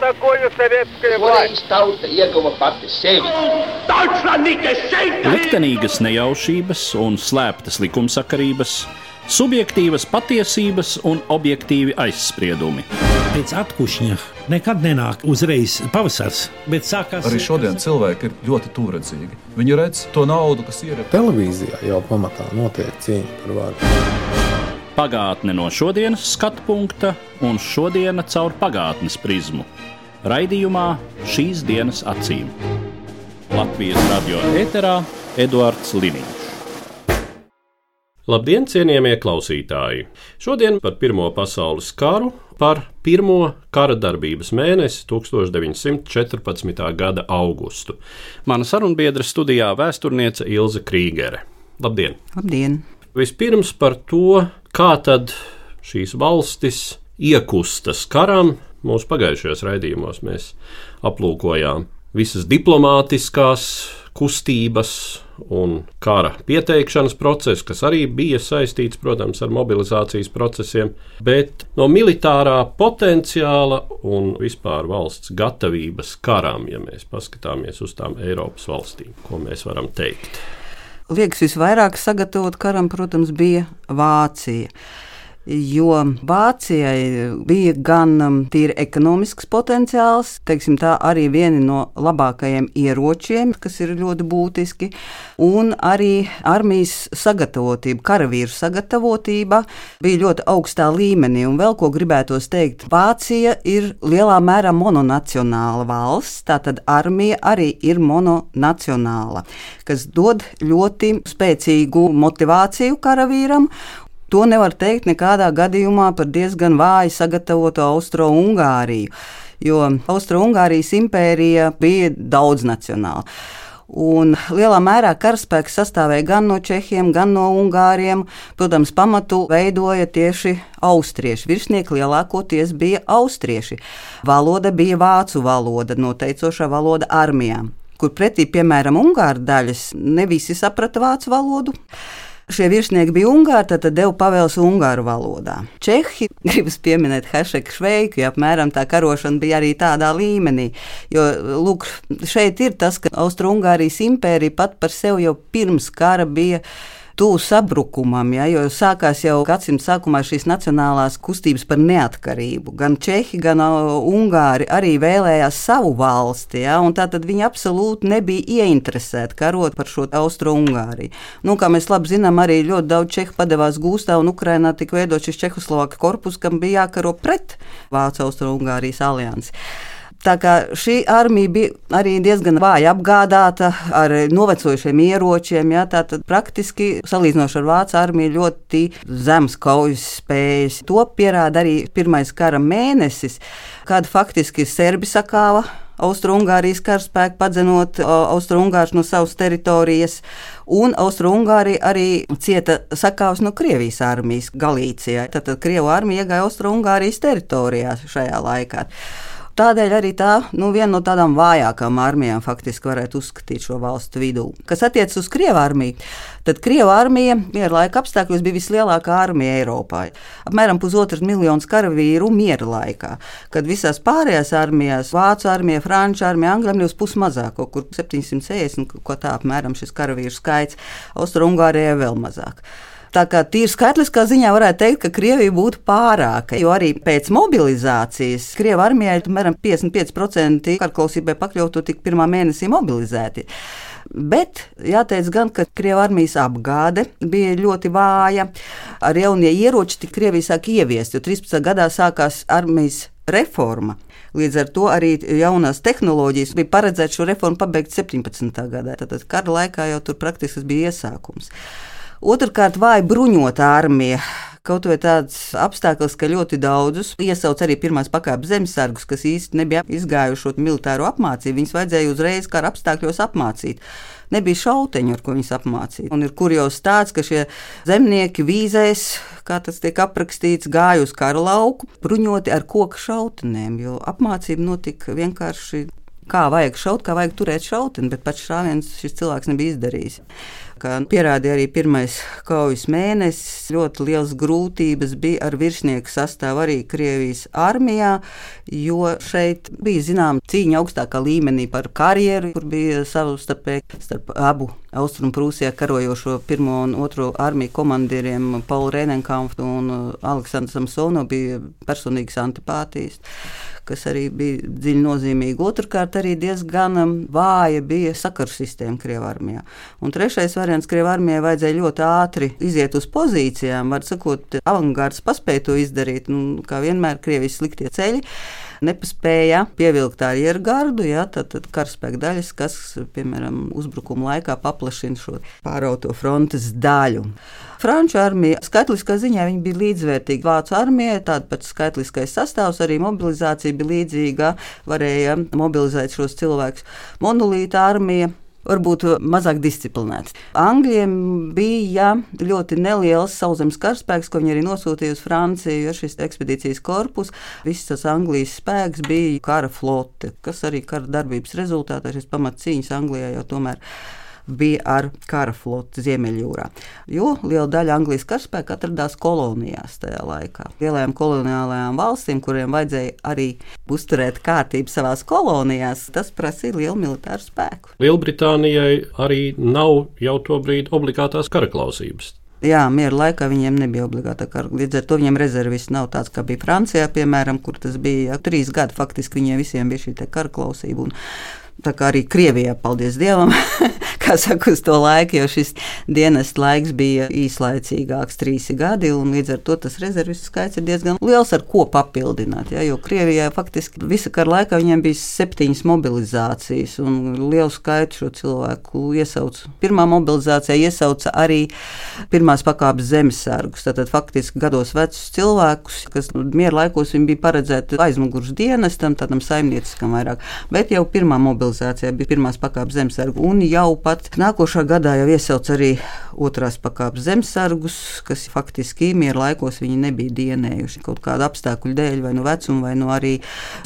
такое советская власть? Tauta ieguva pati sevi. Liktenīgas nejaušības un slēptas likumsakarības, subjektīvas patiesības un objektīvi aizspriedumi. Pēc atkušņa nekad nenāk uzreiz pavasars, bet sākās... Arī šodien cilvēki ir ļoti tūredzīgi. Viņi redz to naudu, kas ir. Televīzijā jau pamatā notiek cīņa par varu. Pagātne no šodienas skatu punkta un šodiena caur pagātnes prizmu. Raidījumā Šīs dienas acīm. Latvijas radio ēterā Eduards Liniņš. Labdien, cienījamie klausītāji! Šodien par Pirmo pasaules karu, par pirmo kara darbības mēnesi 1914. gada augustu. Mana sarunbiedre studijā vēsturniece Ilze Krīgere. Labdien! Labdien! Vispirms par to, kā tad šīs valstis iekustas karam. Mūsu pagājušajos raidījumos mēs aplūkojām visas diplomātiskās kustības un kara pieteikšanas procesu, kas arī bija saistīts, protams, ar mobilizācijas procesiem, bet no militārā potenciāla un vispār valsts gatavības karam, ja mēs paskatāmies uz tām Eiropas valstīm, ko mēs varam teikt. Liekas, visvairāk sagatavot karam, protams, bija Vācija. Jo Vācijai bija gan tīri ekonomisks potenciāls, teiksim tā, arī vieni no labākajiem ieročiem, kas ir ļoti būtiski, un arī armijas sagatavotība, karavīru sagatavotība bija ļoti augstā līmenī. Un vēl ko gribētos teikt, Vācija ir lielā mērā mononacionāla valsts, tātad armija arī ir mononacionāla, kas dod ļoti spēcīgu motivāciju karavīram. To nevar teikt nekādā gadījumā par diezgan vāji sagatavotu Austro-Ungāriju, jo Austro-Ungārijas impērija bija daudznacionāla. Un lielā mērā karaspēks sastāvēja gan no čehiem, gan no ungāriem. Protams, pamatu veidoja tieši austrieši. Virsnieki lielākoties bija austrieši. Valoda bija vācu valoda, noteicošā valoda armijām, kur pretī, piemēram, ungāru daļas ne visi saprata vācu valodu. Šie virsnieki bija ungāri, tad deva pavēles ungāru valodā. Čehi, gribas pieminēt Hašeku Šveiku, ja apmēram tā karošana bija arī tādā līmenī. Jo, lūk, šeit ir tas, ka Austro-Ungārijas impērija pat par sevi jau pirms kara bija tuvu sabrukumam, ja, jo sākās jau gadsimta sākumā šīs nacionālās kustības par neatkarību. Gan Čehi, gan Ungāri arī vēlējās savu valsti, ja, un tātad viņi absolūti nebija ieinteresēti karot par šo Austro-Ungāriju. Nu, kā mēs labi zinām, arī ļoti daudz Čehu padevās gūstā, un Ukrainā tika veidot šis Čehoslovāka korpus, kam bija jākaro pret Vācu Austro-Ungārijas aliansi. Tā kā šī armija bija arī diezgan vāji apgādāta ar novecojušiem ieročiem, ja, tātad praktiski salīdzinoši ar Vācu armiju ļoti zems kaujas spējas. To pierāda arī pirmais kara mēnesis, kad faktiski serbi sakāva Austro-Ungārijas karaspēku, padzenot Austro-Ungārus no savas teritorijas, un Austro-Ungārija arī cieta sakāvs no Krievijas armijas Galīcijā. Tātad Krievu armija iegāja Austro-Ungārijas teritorijā šajā laikā. Tādēļ arī tā, viena no tādām vājākām armijām faktiski varētu uzskatīt šo valstu vidū. Kas attiecas uz Krievu armiju, tad Krievu armija miera laika apstākļos bija vislielākā armija Eiropā. Apmēram 1,5 miljonus karavīru miera laikā, kad visās pārējās armijās, Vācu armija, Franču armija, Angļu armija uz pusi mazāk, kaut kur 760, ko tā apmēram šis karavīru skaits, Austro-Ungārijai vēl mazāk. Tā kā tīri skaitliskā ziņā varētu teikt, ka Krievija būtu pārāka, jo arī pēc mobilizācijas Krievu armijai apmēram 55% karklausībai pakļautu tik pirmā mēnesī mobilizēti. Bet jāteic gan, ka Krievu armijas apgāde bija ļoti vāja, ar jaunie ieroči tik Krievija sāk ieviest, jo 13. gadā sākās armijas reforma. Līdz ar to arī jaunās tehnoloģijas bija paredzēts šo reformu pabeigt 17. gadā. Tātad kara laikā jau tur praktiski bija iesākums. Otrkārt, vāja bruņota armija. Kaut vai tāds apstākļus, ka ļoti daudzus iesauc arī pirmās pakāpes zemesargus, kas īsti nebija izgājuši šo militāro apmācību. Viņus vajadzēja uzreiz kara apstākļos apmācīt. Nebija šauteņu, ar ko viņus apmācīt. Un ir kurjos tāds, ka šie zemnieki vīzēs, kā tas tiek aprakstīts, gāja uz kara lauku, bruņoti ar koku šautenēm, jo apmācība notika vienkārši kā vajag šaut, kā vajag turēt šauteni, bet pats šāviens šis cilvēks nebija izdarījis. Kā pierādīja arī pirmais kaujas mēnesis, ļoti liels grūtības bija ar virsnieku sastāvu arī Krievijas armijā, jo šeit bija zinām cīņa augstākā līmenī par karjeru, kur bija savstarpēji starp abu Austrumprūsijā karojošo 1. un 2. armiju komandieriem Paulu Rēnenkampfu un Aleksandru Samsonovu bija personīgas antipātijas, kas arī bija dziļi nozīmīgi. Otrkārt, arī diezgan vāja bija sakaru sistēma Krievijas armijā. Un trešais variants, Krievijas armijai vajadzēja ļoti ātri iziet uz pozīcijām, var sakot, avangards paspēja to izdarīt, un kā vienmēr Krievijas sliktie ceļi nepaspēja pievilkt arjergardu, tad karaspēka daļas, kas, piemēram, uzbrukuma laikā paplašina šo pārauto frontes daļu. Franču armija skaitliskā ziņā viņa bija līdzvērtīga Vācu armijai, tāda pats skaitliskais sastāvs, arī mobilizācija bija līdzīga, varēja mobilizēt šos cilvēkus. Monolīta armija varbūt mazāk disciplinēts. Angļiem bija ļoti neliels sauszemes karaspēks, ko viņi arī nosūtīja uz Franciju, jo šis ekspedīcijas korpus, viss tas Anglijas spēks bija kara flote, kas arī kara darbības rezultātā šis pamatcīņas Anglijā jau tomēr bija ar kara floti Ziemeļjūrā. Jo liela daļa Anglijas karaspēka atradās kolonijās tajā laikā. Lielajām koloniālajām valstīm, kuriem vajadzēja arī uzturēt kārtību savās kolonijās, tas prasīja lielu militāru spēku. Lielbritānijai arī nav jau tobrīd obligātās karaklausības. Jā, miera laikā viņiem nebija obligāta kara. Līdz ar to viņiem rezervists nav tāds, kā bija Francijā, piemēram, kur tas bija 3 gadi. Faktiski viņiem visiem bija šī karaklausība. Un tā kā arī Krievijā, paldies Dievam, kā saka, uz to laiku, jo šis dienas laiks bija īslaicīgāks, 3 gadi, un līdz ar to tas rezervistu skaits ir diezgan liels, ar ko papildināt. Ja, jo Krievijā faktiski visa kara laikā viņiem bija 7 mobilizācijas, un lielu skaitu šo cilvēku iesauca. Pirmā mobilizācijā iesauca arī pirmās pakāpes zemesargus, tātad faktiski gados vecus cilvēkus, kas miera laikos viņi bija paredzēti aizmugurs dienestam, tādam saimnieciskam vairāk, bet jau pirmā mobilizācijā bija pirmās pakāpes zemesargu, un jau pat nākošā gadā jau iesauc arī otrās pakāpes zemesargus, kas faktiski miera laikos viņi nebija dienējuši kaut kādu apstākļu dēļ, vai no vecuma, vai no arī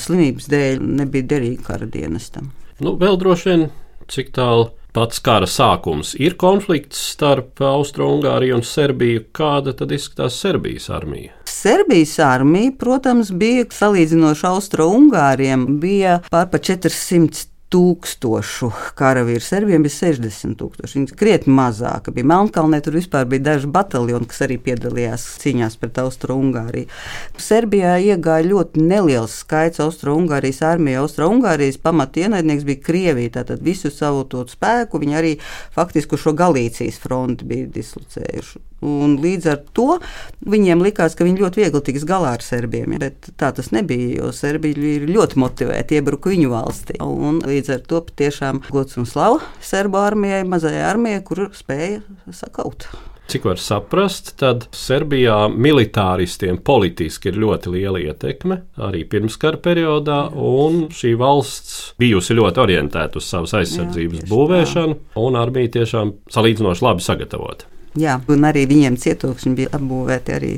slimības dēļ nebija derīgi kara dienestam. Vēl droši vien, cik tālu pats kara sākums ir konflikts starp Austro-Ungāriju un Serbiju. Kāda tad izskatās Serbijas armija? Serbijas armija, protams, bija salīdzinoši Austro-Ungāriem, bija pār pa 400 tūkstošu karavīru. Serbiem bija 60 tūkstoši. Viņi krietni mazāka bija. Melnkalnē tur vispār bija daži bataljoni, kas arī piedalījās cīņās pret Austro-Ungāriju. Serbijā iegāja ļoti neliels skaits Austro-Ungārijas armija. Austro-Ungārijas pamatienaidnieks bija Krievija, tātad visu savu to spēku viņi arī faktiski šo Galīcijas fronti bija dislocējuši. Un līdz ar to viņiem likās, ka viņi ļoti viegli tiks galā ar serbiem, bet tā tas nebija, jo Serbija ir ļoti motivēti iebruka viņu valstī. Un līdz ar to patiešām gods un slava serbu armijai, mazajai armijai, kur spēja sakaut. Cik var saprast, tad Serbijā militāristiem politiski ir ļoti liela ietekme arī pirmskara periodā, un šī valsts bijusi ļoti orientēta uz savas aizsardzības būvēšanu, un armija tiešām salīdzinoši labi sagatavota. Jā, un arī viņiem cietokšņi bija apbūvēti arī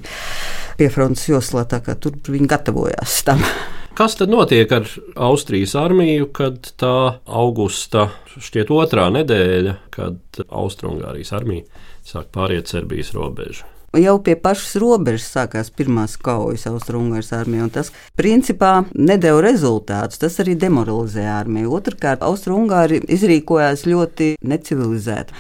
pie frontes joslā, tā kā tur viņi gatavojās tam. Kas tad notiek ar Austrijas armiju, kad tā augusta šķiet 2. nedēļa, kad Austro-Ungārijas armija sāk pāriet Serbijas robežu? Jau pie pašas robežas sākās pirmās kaujas Austro-Ungārijas armija, un tas principā nedeva rezultātus. Tas arī demoralizēja armiju. Otrkārt, Austro-Ungāri izrīkojās ļoti necivilizēti.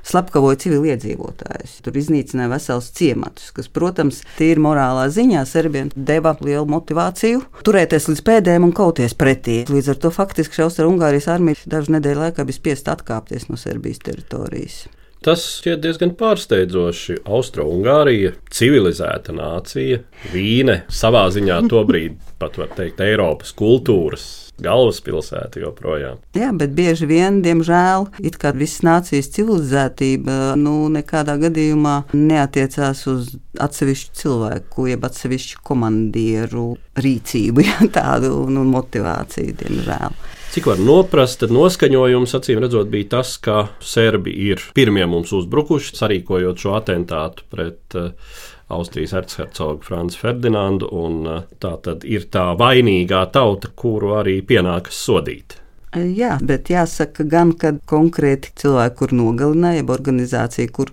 Slepkavoja civiliedzīvotājus. Tur iznīcināja vesels ciematus, kas, protams, tīri morālā ziņā serbiem deva lielu motivāciju turēties līdz pēdējiem un kauties pretī. Līdz ar to faktiski Austro-Ungārijas armija dažu nedēļu laikā bija spiest atkāpties no Serbijas teritorijas. Tas šķiet diezgan pārsteidzoši. Austro-Ungārija, civilizēta nācija, Vīne, savā ziņā tobrīd pat var teikt Eiropas kultūras galvaspilsēta joprojām. Jā, bet bieži vien, diemžēl, it kā visas nācijas civilizētība nekādā gadījumā neatiecās uz atsevišķu cilvēku, jeb atsevišķu komandieru rīcību, tādu motivāciju, diemžēl. Cik var noprast, tad noskaņojums, acīm redzot, bija tas, ka serbi ir pirmie mums uzbrukuši, sarīkojot šo atentātu pret Austrijas erchercogu Franci Ferdinandu, un tā tad ir tā vainīgā tauta, kuru arī pienākas sodīt. Jā, bet jāsaka gan, ka konkrēti cilvēki, kur nogalināja, jeb organizācija, kur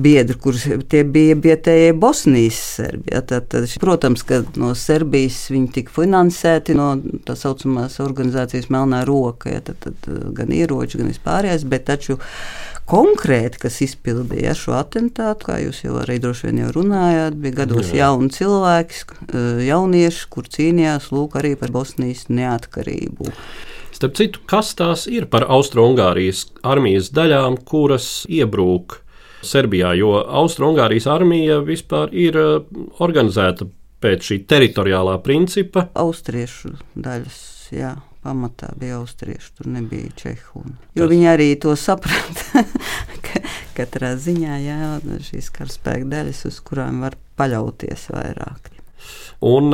biedri, kur tie bija vietējie Bosnijas serbi. Tad, protams, ka no Serbijas viņi tika finansēti no tā saucamās organizācijas Melnā roka, tad gan ieroči, gan vispārējais, bet taču konkrēti, kas izpildīja šo atentātu, kā jūs jau arī droši vien jau runājāt, bija gados jauni cilvēki, jaunieši, kur cīnījās lūk arī par Bosnijas neatkarību. Starp citu, kas tās ir par Austro-Ungārijas armijas daļām, kuras iebrūk Serbijā, jo Austro-Ungārijas armija vispār ir organizēta pēc šī teritoriālā principa? Austriešu daļas, jā. Pamatā bija austrieši, tur nebija čehu. Jo viņi arī to saprata, ka katrā ziņā šīs karaspēka daļas, uz kurām var paļauties vairāk. Un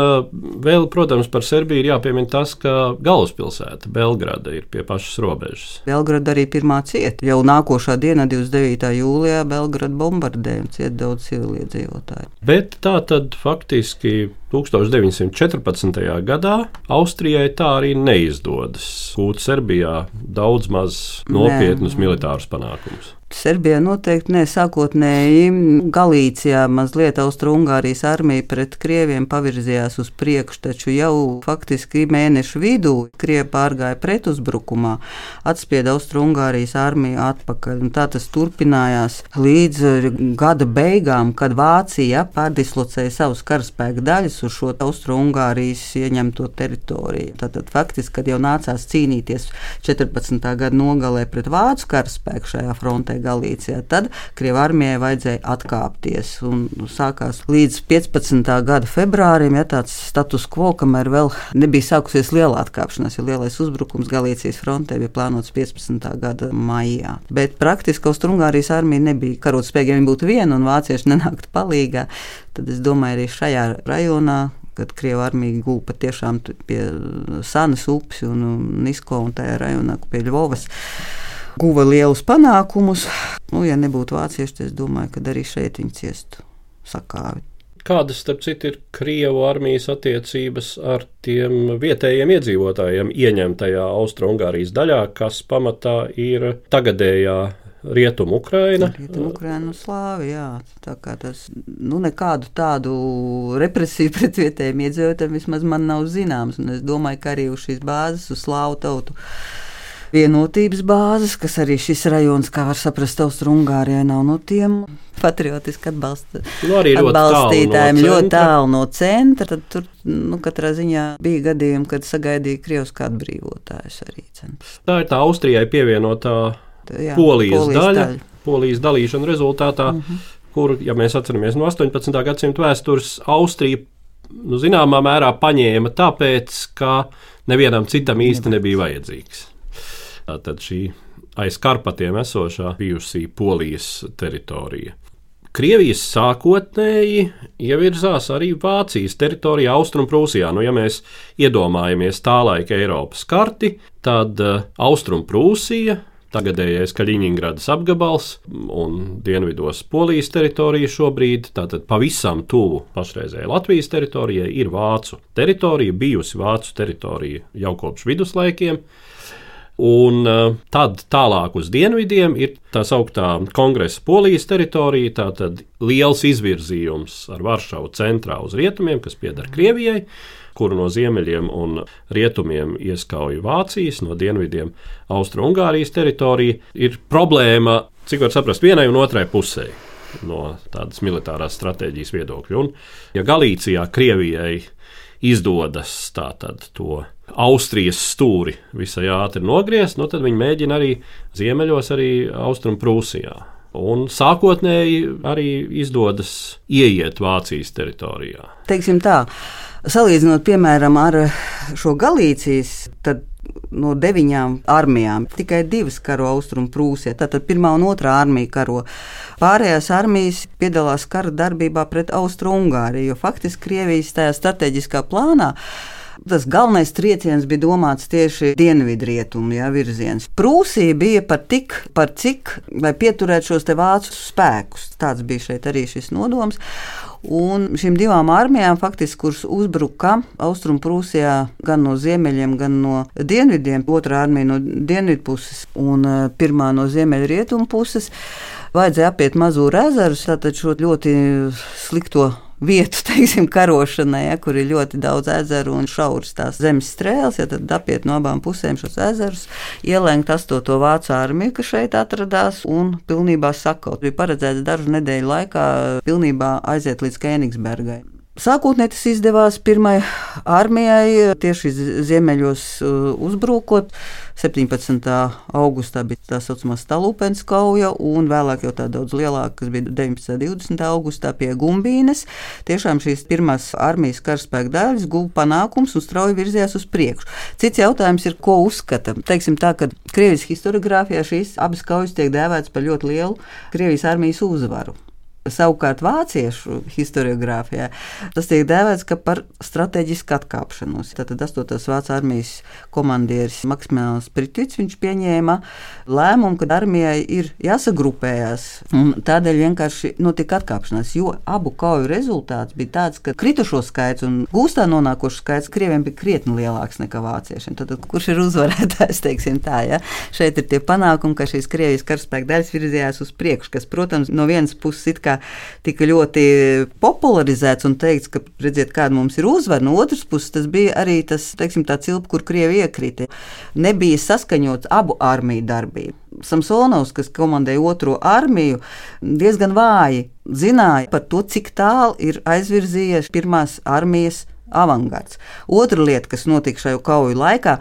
vēl, protams, par Serbiju ir jāpiemina tas, ka galvaspilsēta Belgrada ir pie pašas robežas. Belgrada arī pirmā cieta. Jau nākošā dienā, 29. jūlijā, Belgrada bombardēja un cieta daudz civiliedzīvotāju. Bet tā tad faktiski 1914. gadā Austrijai tā arī neizdodas gūt Serbijā daudz maz nopietnus militārus panākumus. Serbijā noteikti ne. Sākotnēji Galīcijā mazliet Austro-Ungārijas armija pret krieviem pavirzījās uz priekšu, taču jau faktiski mēnešu vidū krievi pārgāja pretuzbrukumā, atspieda Austro-Ungārijas armiju atpakaļ. Un tā tas turpinājās līdz gada beigām, kad Vācija pārdislocēja savus karaspēka daļas uz šo Austro-Ungārijas ieņemto teritoriju. Tātad faktiski, kad jau nācās cīnīties 14. gada nogalē pret vācu karaspēku šajā frontē Galīcijā, tad Krievu armijai vajadzēja atkāpties. Un sākās līdz 15. gada februārim, tāds status quo, kamēr vēl nebija sākusies liela atkāpšanās, jo lielais uzbrukums Galīcijas frontē bija plānots 15. gada maijā. Bet praktiski Austro-Ungārijas armija nebija karotspējīga, ja viņi būtu viena un vācieši nenāktu palīgā. Tad es domāju, arī šajā rajonā, kad Krievu armija gūpa tiešām pie Sanas upes un Nisko un tajā rajonā pie Ļvovas, guva lielus panākumus. Ja nebūtu vācieši, tad es domāju, ka arī šeit viņi ciestu sakāvi. Kādas, starp citu, ir Krievu armijas attiecības ar tiem vietējiem iedzīvotājiem ieņemtajā Austro-Ungārijas daļā, kas pamatā ir tagadējā Rietumu Ukraina? Rietumu Ukraina un Slāvi, jā. Tā kā tas, nekādu tādu represiju pret vietējiem iedzīvotājiem vismaz man nav zināms. Un es domāju, ka arī uz šīs bāzes, uz Slāvu tautu vienotības bāzes, kas arī šis rajons, kā var saprast, Austro-Ungārijai nav no tiem patriotiski atbalstītājiem ļoti tālu no centra. Tad tur katrā ziņā bija gadījumi, kad sagaidīja Krievsku atbrīvotājus arī. Tā ir tā Austrijai pievienotā Polijas daļa. Polijas dalīšana rezultātā, kur, ja mēs atceramies no 18. gadsimta vēstures, Austrija zināmā mērā paņēma tāpēc, ka nevienam citam īsti nebija vajadzīgs. Tātad šī aiz Karpatiem esošā bijusī Polijas teritorija. Krievijas sākotnēji ievirzās arī Vācijas teritorijā Austrumprūsijā. Ja mēs iedomājamies tā laika Eiropas karti, tad Austrumprūsija, tagadējais Kaļiņingradas apgabals un dienvidos Polijas teritorija šobrīd, tātad pavisam tuvu pašreizējai Latvijas teritorijai, ir Vācu teritorija, bijusi Vācu teritorija jau kopš viduslaikiem. Un tad tālāk uz dienvidiem ir tā sauktā Kongresa Polijas teritorija, tātad liels izvirzījums ar Varšavu centrā uz rietumiem, kas pieder Krievijai, kuru no ziemeļiem un rietumiem ieskauj Vācijas, no dienvidiem Austro-Ungārijas teritorija. Ir problēma, cik var saprast, vienai un otrai pusē no tādas militārās stratēģijas viedokļa. Un, ja Galīcijā Krievijai izdodas tātad to Austrijas stūri visai ātri nogriezt, tad viņi mēģina arī ziemeļos, arī Austrumprūsijā. Un sākotnēji arī izdodas ieiet Vācijas teritorijā. Teiksim tā, salīdzinot piemēram ar šo Galīcijas, tad no 9 armijām tikai 2 karo Austrumprūsijā, tātad 1. un 2. armija karo. Pārējās armijas piedalās kara darbībā pret Austro-Ungāriju, jo faktiski Krievijas tajā strateģiskā plānā tas galvenais trieciens bija domāts tieši dienvidrietumu virziens. Prūsija bija par cik, lai pieturētu šos te vācu spēkus. Tāds bija šeit arī šis nodoms. Un šīm divām armijām, faktiski, kuras uzbruka Austrumprūsijā gan no ziemeļiem, gan no dienvidiem, otrā armija no dienvidu puses un pirmā no ziemeļrietumu puses, vajadzēja apiet Mazūru ezerus, tātad šo ļoti slikto vietu, teiksim, karošanai, kur ir ļoti daudz ezeru un šauras tās zemes strēles, tad apiet no abām pusēm šos ezerus, ielenkt 8. vācu armiju, kas šeit atradās, un pilnībā sakaut. Bija paredzēts dažu nedēļu laikā pilnībā aiziet līdz Kēnigsbergai. Sākotnēji tas izdevās pirmai armijai tieši ziemeļos uzbrukot. 17. augustā bija tā saucamā Stalupens kauja, un vēlāk jau tā daudz lielāka, kas bija 19. 20. augustā pie Gumbīnes. Tiešām šīs pirmās armijas karaspēka daļas guva panākums un strauji virzījās uz priekšu. Cits jautājums ir, ko uzskata. Teiksim tā, ka Krievijas historiogrāfijā šīs abas kaujas tiek dēvētas par ļoti lielu Krievijas armijas uzvaru. Savukārt vāciešu historiogrāfijā tas tiek dēvēts par strateģisku atkāpšanos. Tātad 8. vācu armijas komandieris Maksimilians Pritvits, viņš pieņēma lēmumu, ka armijai ir jāsagrupējās, un tādēļ vienkārši notika atkāpšanās, jo abu kauju rezultāts bija tāds, ka kritušo skaits un gūstā nonākošu skaits Krieviem bija krietni lielāks nekā vāciešiem. Tātad, kurš ir uzvarētājs, teiksim tā, ja? Šeit ir tie panākumi, ka šīs Krievijas karaspēka daļas virzījās uz priekšu, kas, protams, no vienas puses it kā tika ļoti popularizēts un teikts, ka redziet, kāda mums ir uzvara. No otras puses tas bija arī tas, teiksim, tā cilpa, kur Krievi iekrita. Nebija saskaņots abu armiju darbību. Samsonovs, kas komandēja 2. armiju, diezgan vāji zināja par to, cik tālu ir aizvirzījies 1. armijas avangards. Otra lieta, kas notika šajā kauju laikā,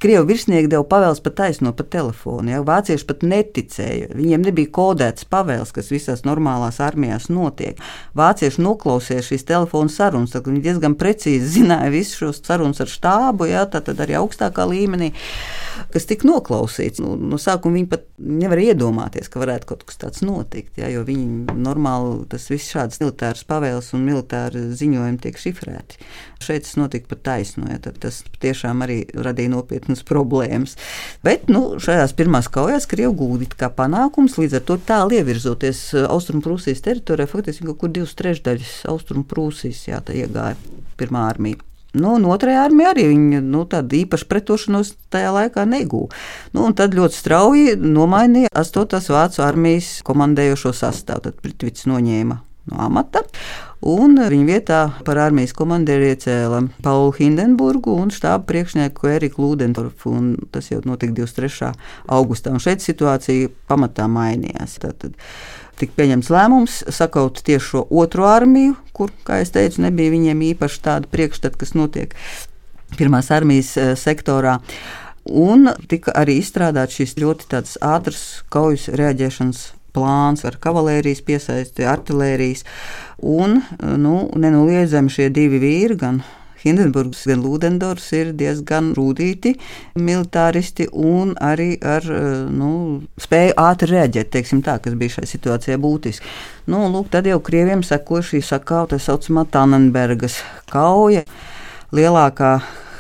Krievu virsnieki deva pavēles pa taisno pa telefonu. Ja? Vācieši pat neticēja. Viņiem nebija kodētas pavēles, kas visās normālās armijās notiek. Vācieši noklausīja šīs telefonu sarunas, tad viņi diezgan precīzi zināja visus šos sarunas ar štābu, ja? Tad arī augstākā līmenī, kas tika noklausīts. No sākuma viņi pat nevar iedomāties, ka varētu kaut kas tāds notikt, ja? Jo viņi normāli, tas viss šādas militāras pavēles un militāri ziņojumi tiek šifrēti. Šeit tas notika pa taisno, ja? Tad tas tiešām arī radīja nopietnu problēmas. Bet šajās pirmās kaujās Krievi gūdīt kā panākums, līdz ar to tālu ievirzoties Austrumprūsijas teritorijā, faktiski kaut kur 2/3 Austrumprūsijas iegāja pirmā armija. Un otrajā armijā arī viņi tādu īpašu pretošanos tajā laikā negūja. Un tad ļoti strauji nomainīja 8. vācu armijas komandējošo sastāvu. Tad Pritvits noņēma no amata, un viņa vietā par armijas komandieru iecēla Paulu Hindenburgu un štāba priekšnieku Eriku Ludendorfu, un tas jau notika 23. augustā, un šeit situācija pamatā mainījās. Tātad tika pieņemts lēmums sakaut tieši šo 2. armiju, kur, kā es teicu, nebija viņiem īpaši tāda priekšstata, kas notiek 1. armijas sektorā. Un tika arī izstrādāts šis ļoti tāds ātrs kaujas reaģēšanas plāns ar kavalērijas piesaisti, artilērijas, un nenoliedzami šie divi vīri, gan Hindenburgs, gan Ludendorfs, ir diezgan rūtīti militāristi un arī ar spēju ātri reaģēt, teiksim tā, kas bija šai situācijai būtiski. Tad jau Krieviem sekoja šī sakauta saucamā Tannenbergas kauja, lielākā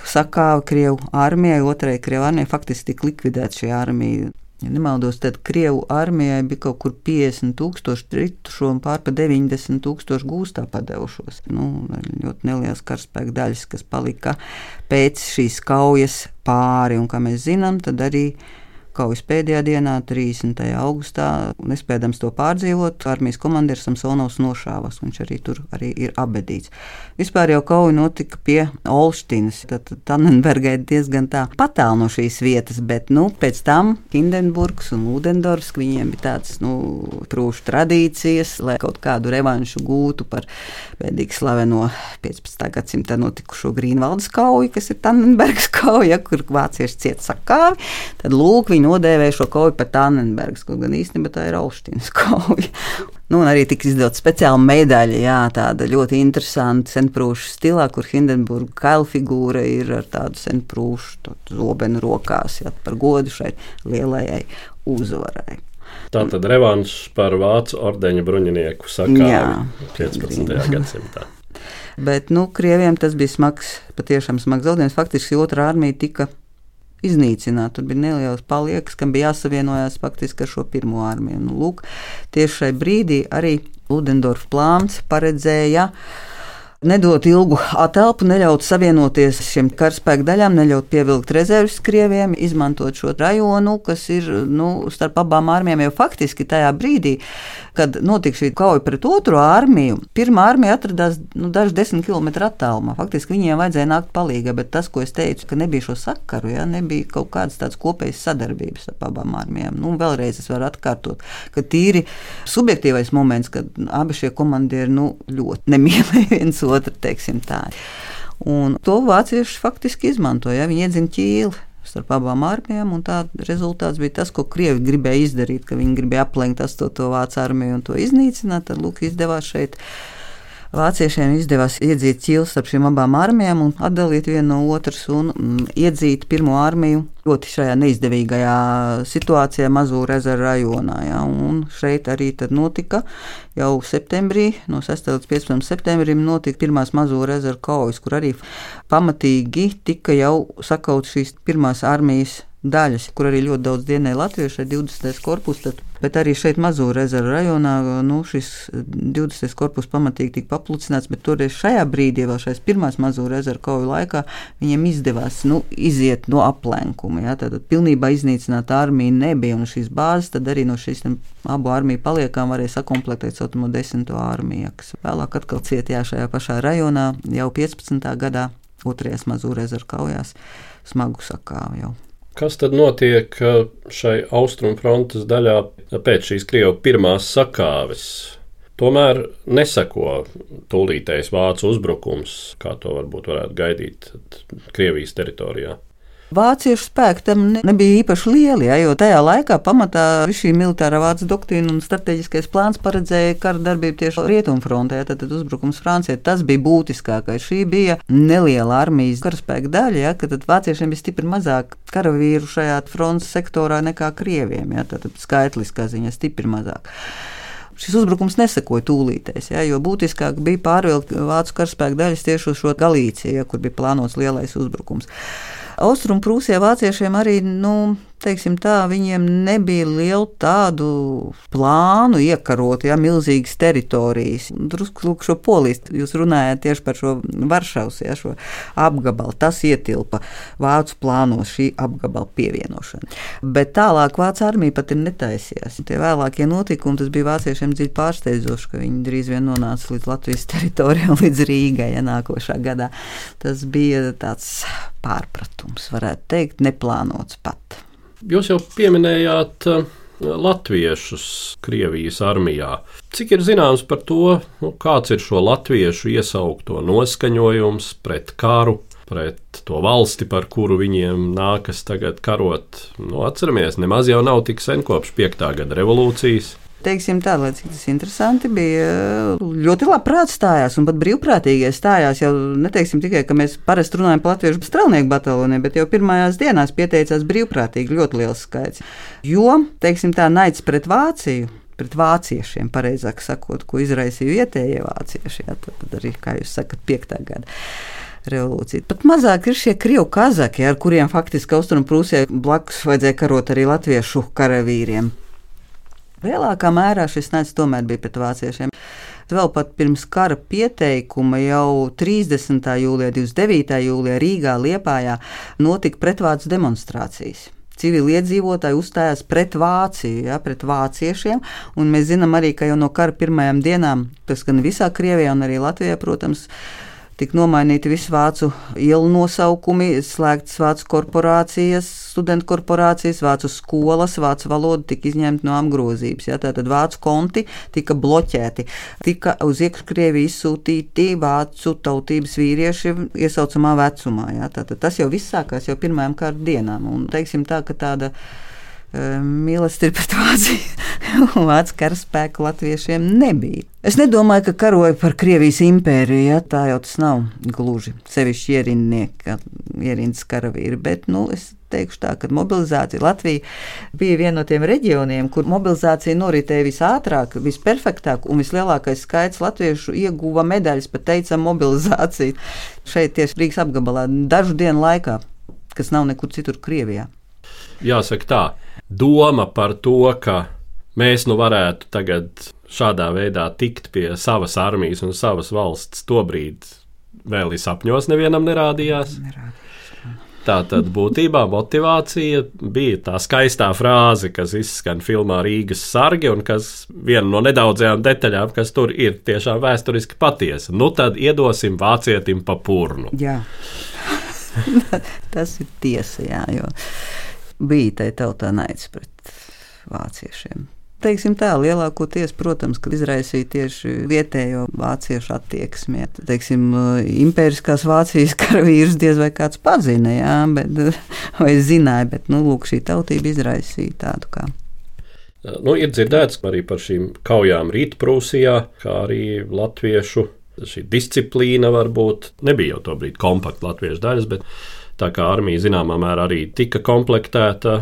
sakāva Krievu armijai, otrajai Krievu armijai faktiski tika likvidēta šī armija. Ja nemaldos, tad Krievu armijai bija kaut kur 50,000 kritušo un pār pa 90,000 gūstā padevušos. Ļoti nelielas karaspēka daļas, kas palika pēc šīs kaujas pāri. Un, kā mēs zinām, tad arī kaujas pēdējā dienā, 30. augustā, nespēdams to pārdzīvot, armijas komandieris Samsonovs nošāvas. Viņš arī tur arī ir abedīts. Vispār jau kauja notika pie Olštinas. Tad Tannenbergai diezgan tā patālu no šīs vietas, bet pēc tam Hindenburgs un Ludendorfs, viņiem bija tāds prūšu tradīcijas, lai kaut kādu revanšu gūtu par pēdīgi slaveno 15. gadsimtā notikušo Grīnvaldes kauju, kas ir Tannenbergas kauja, kur vācieši cieta sakāvi. Tad lūk, viņi nodēvēja šo kauju par Tannenbergas, kaut gan īstenībā tā ir Olštinas kauja. Un arī tika izdota speciāla medaļa, tāda ļoti interesanta senprūšu stilā, kur Hindenburga kailfigūra ir ar tādu senprūšu zobenu rokās, par godu šai lielajai uzvarai. Tā tad revanšs par vācu ordeņa bruņinieku sakāvi 15. gadsimtā. Bet, Krieviem tas bija smags, patiešām smags zaudējums. Faktiski 2. armija tika iznīcināt. Tur bija neliels paliekas, kam bija jāsavienojās faktiski ar šo 1. armiju. Lūk, tieši šai brīdī arī Ludendorfa plāns paredzēja nedot ilgu atelpu, neļaut savienoties šiem karaspēku daļām, neļaut pievilkt rezerves Krieviem, izmantot šo rajonu, kas ir starp abām armijām jau faktiski tajā brīdī, kad notika šī kauja pret otro armiju. Pirmā armija atradās daži 10 km attālumā. Faktiski viņiem vajadzēja nākt palīgā, bet tas, ko es teicu, ka nebija šo sakaru, nebija kaut kādas tādas kopējas sadarbības ar abām armijām. Vēlreiz es varu atkārtot, ka tīri subjektīvais moments, kad abi šie komandieri ļoti nemīlēja viens otru, teiksim tā. Un to vācieši faktiski izmantoja, viņi iedzina ķīli starp abām armijām, un tā rezultāts bija tas, ko Krievi gribēja izdarīt, ka viņi gribēja aplenkt 8. vācu armiju un to iznīcināt, tad izdevās šeit. Vāciešiem izdevās iedzīt ķīli starp šīm abām armijām un atdalīt vienu no otras un iedzīt pirmo armiju ļoti šajā neizdevīgajā situācijā Mazūra ezera rajonā. Ja, un šeit arī tad notika jau septembrī, no 6. līdz 15. septembrim notika pirmās Mazūra ezera kaujas, kur arī pamatīgi tika jau sakaut šīs pirmās armijas daļas, kur arī ļoti daudz dienēja latvieši ar 20. korpusu, bet arī šeit Mazūra ezera rajonā šis 20. korpus pamatīgi tika paplucināts, bet toreiz šajā brīdī, vēl šais pirmās Mazūra ezera kauju laikā, viņiem izdevās iziet no aplenkuma. Ja, tātad pilnībā iznīcināt armiju nebija, un šīs bāzes tad arī no šīs abu armiju paliekām varēja sakomplektēt saucamo 10. armiju, kas vēlāk atkal cietījā šajā pašā rajonā jau 15. gadā, 2. Mazūra ezera kaujās smagu sakāvu jau. Kas tad notiek šai austrumfrontes daļā pēc šīs Krievu pirmās sakāves? Tomēr neseko tūlītējs vācu uzbrukums, kā to varētu gaidīt Krievijas teritorijā. Vāciešu spēki tam nebija īpaši lieli, jo tajā laikā pamatā šī militārā vācu doktrīna un strateģiskais plāns paredzēja kara darbību tieši rietumfrontē, tad uzbrukums Francijai. Tas bija būtiskākais. Šī bija neliela armijas karaspēka daļa, ka tad vāciešiem bija stipri mazāk karavīru šajā frontes sektorā nekā Krieviem, tad skaitliskā ziņā stipri mazāk. Šis uzbrukums nesekoja tūlītēs, jo būtiskāk bija pārvilkt vācu karaspēka daļas tieši uz šo Galīciju, kur bija plānots lielais uzbrukums. Austrumprūsijā vāciešiem arī, teiksim tā, viņiem nebija lielu tādu plānu iekarot, milzīgas teritorijas. Drusku šo Polijas, jūs runājāt tieši par šo Varšavas, šo apgabalu, tas ietilpa vācu plānos šī apgabala pievienošana. Bet tālāk vācu armija pat ir netaisījās. Tie vēlākie notikumi, tas bija vāciešiem dziļi pārsteidzoši, ka viņi drīz vien nonāca līdz Latvijas teritorijai un līdz Rīgai, nākošā gadā. Tas bija tāds pārpratums, varētu teikt, neplānots pat. Jūs jau pieminējāt latviešus Krievijas armijā. Cik ir zināms par to, kāds ir šo latviešu iesaukto noskaņojums pret karu, pret to valsti, par kuru viņiem nākas tagad karot? Atceramies, nemaz jau nav tik sen kopš 5. gada revolūcijas. Teiksim tā, lai cik tas interesanti bija, ļoti labprāt stājās un pat brīvprātīgie stājās. Jau neteiksim tikai, ka mēs parasti runājam par latviešu strelnieku bataljoniem, bet jau pirmajās dienās pieteicās brīvprātīgi ļoti liels skaits. Jo, teiksim tā, naids pret Vāciju, pret vāciešiem, pareizāk sakot, ko izraisīja vietējie vācieši, tad arī, kā jūs sakat, 5. gada revolūcija. Pat mazāk ir šie krievu kazaki, ar kuriem faktiski Austrumprūsijai blakus vajadzēja karot arī latviešu karavīriem. Lielākā mērā šis naids tomēr bija pret vāciešiem. Vēl pat pirms kara pieteikuma jau 30. jūlijā, 29. jūlijā Rīgā, Liepājā notika pretvācu demonstrācijas. Civiliedzīvotāji uzstājās pret Vāciju, pret vāciešiem, un mēs zinām arī, ka jau no kara pirmajām dienām, tas gan visā Krievijā un arī Latvijā, protams, tika nomainīti visi vācu ielu nosaukumi, slēgtas vācu korporācijas, studentu korporācijas, vācu skolas, vācu valoda tika izņemta no apgrozības. Tātad vācu konti tika bloķēti. Tika uz iekškrieviju izsūtīti vācu tautības vīrieši iesaucamā vecumā. Tātad tas jau viss sākās jau pirmajām kara dienām. Un teiksim tā, ka tāda mīlestība pret Vāciju un vācu karaspēku latviešiem nebija. Es nedomāju, ka karoja par Krievijas impēriju, tā jau tas nav gluži sevišķi ierindnieki, ierindas karavīri, bet, es teikšu tā, ka mobilizācija Latvija bija viena no tiem reģioniem, kur mobilizācija noritēja visātrāk, visperfektāk, un vislielākais skaits latviešu ieguva medaļas, pat teicam mobilizāciju šeit tieši Rīgas apgabalā dažu dienu laikā, kas nav nekur citur Krievijā. Jāsaka tā, doma par to, ka mēs varētu tagad šādā veidā tikt pie savas armijas un savas valsts, tobrīd vēl ir sapņos nevienam nerādījās. Tātad būtībā motivācija bija tā skaistā frāze, kas izskan filmā Rīgas sargi un kas viena no nedaudzajām detaļām, kas tur ir tiešām vēsturiski patiesa. Nu tad iedosim vācietim pa purnu. Jā, tas ir tiesa, jā, jo bija tai tautā naids pret vāciešiem. Teiksim tā, lielākoties, protams, ka izraisīja tieši vietējo vāciešu attieksmi. Teiksim, impēriskās Vācijas karavīrus diez vai kāds pazina, jā, vai zināja, bet, lūk, šī tautība izraisīja tādu kā. Ir dzirdēts arī par šīm kaujām Rītprūsijā, kā arī latviešu šī disciplīna varbūt nebija jau tobrīd kompakta latviešu daļas, bet tā kā armija zināmā mērā arī tika komplektēta,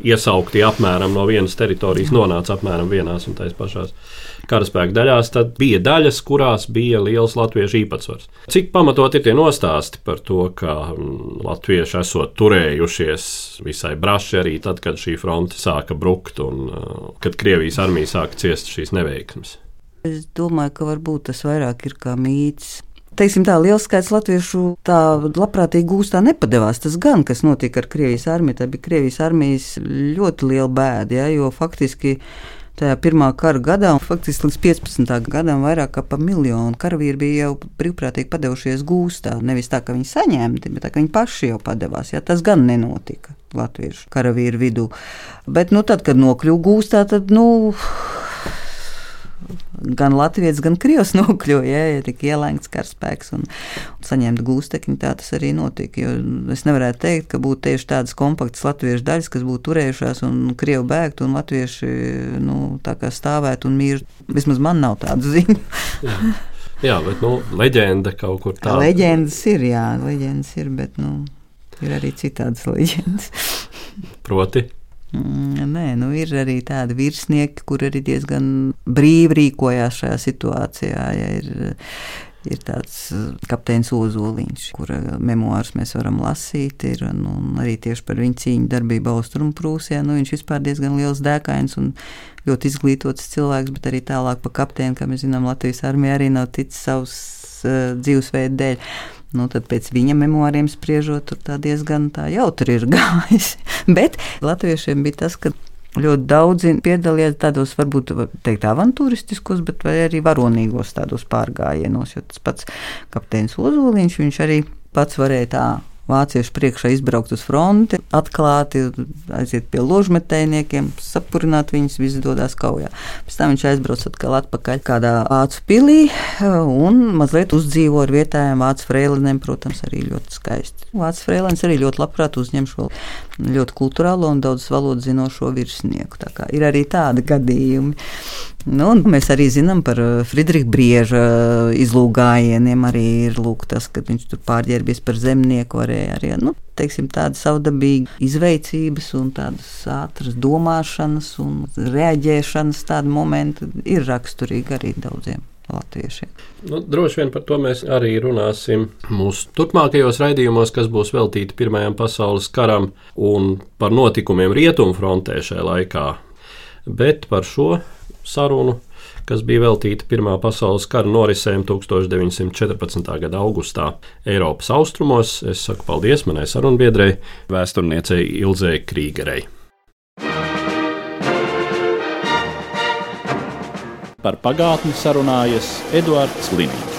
iesaukti apmēram no vienas teritorijas, nonāca apmēram vienās un tais pašās karaspēka daļās, tad bija daļas, kurās bija liels latviešu īpatsvars. Cik pamatot ir tie nostāsti par to, ka latvieši esot turējušies visai braši arī tad, kad šī fronte sāka brukt un kad Krievijas armija sāka ciest šīs neveiksmes? Es domāju, ka varbūt tas vairāk ir kā mīts. Teiksim tā, liels skaits latviešu tā labprātīgi gūstā nepadevās. Tas gan, kas notika ar Krievijas armiju, tā bija Krievijas armijas ļoti liela bēda, ja, jo faktiski tajā pirmā kara gadā, un faktiski līdz 15. gadam vairāk kā pa 1 miljonu karavīri bija jau brīvprātīgi padevušies gūstā. Nevis tā, ka viņi saņemti, bet tā, ka viņi paši jau padevās. Ja, tas gan nenotika latviešu karavīru vidū. Bet tad, kad nokļuva gūstā, tad, gan latvietis, gan krievs nokļuva, ja tika ielēgts karaspēks un saņemta gūstekņi, tā tas arī notika. Jo es nevarētu teikt, ka būtu tieši tādas kompaktas latviešu daļas, kas būtu turējušās un krievi bēgtu un latvieši tā kā stāvētu un mīr. Vismaz man nav tādu ziņu. Jā, bet leģenda kaut kur tāda. Leģendas ir, bet ir arī citādas leģendas. Proti? Nē, ir arī tādi virsnieki, kur arī diezgan brīvi rīkojās šajā situācijā. Ja ir tāds kapteinis Ozoliņš, kura memoārus mēs varam lasīt, un arī tieši par viņu cīņu darbību Austrumprūsijā. Viņš vispār diezgan liels dēkains un ļoti izglītots cilvēks, bet arī tālāk pa kapteini, kā mēs zinām, Latvijas armija arī nav ticis savus dzīvesveidu dēļ. Tad pēc viņa memoāriem spriežot, tur tā diezgan tā jautri ir gājis. Bet latviešiem bija tas, ka ļoti daudzi piedalījās tādos, varbūt teikt, avantūristiskos, bet vai arī varonīgos tādos pārgājienos, jo tas pats kapteinis Ozoliņš, viņš arī pats varēja tā vāciešu priekšā izbraukt uz fronti, atklāti, aiziet pie ložmetējniekiem, sapurināt viņus, visi dodās kaujā. Pēc tam viņš aizbrauc atkal atpakaļ kādā vācu pilī un mazliet uzdzīvo ar vietējiem vācu freilinēm, protams, arī ļoti skaisti. Vācu freilins arī ļoti labprāt uzņem šo ļoti kulturālo un daudz valodu zinošo virsnieku. Tā kā ir arī tādi gadījumi. Mēs arī zinām par Friedriha Brieža izlūgājieniem, arī ir tas, kad viņš tur pārģērbies par zemnieku, varēja arī, teiksim, tāda savdabīga izveicības un tādas ātras domāšanas un reaģēšanas tādi momenti ir raksturīgi arī daudziem latviešiem. Droši vien par to mēs arī runāsim mūsu turpmākajos raidījumos, kas būs veltīti Pirmajam pasaules karam un par notikumiem Rietumfrontē šajā laikā. Bet par šo sarunu, kas bija veltīta Pirmā pasaules kara norisēm 1914. gada augustā Eiropas austrumos, es saku paldies manai sarunbiedrei, vēsturniecei Ilzei Krīgerei. Par pagātni sarunājas Eduards Liniņš.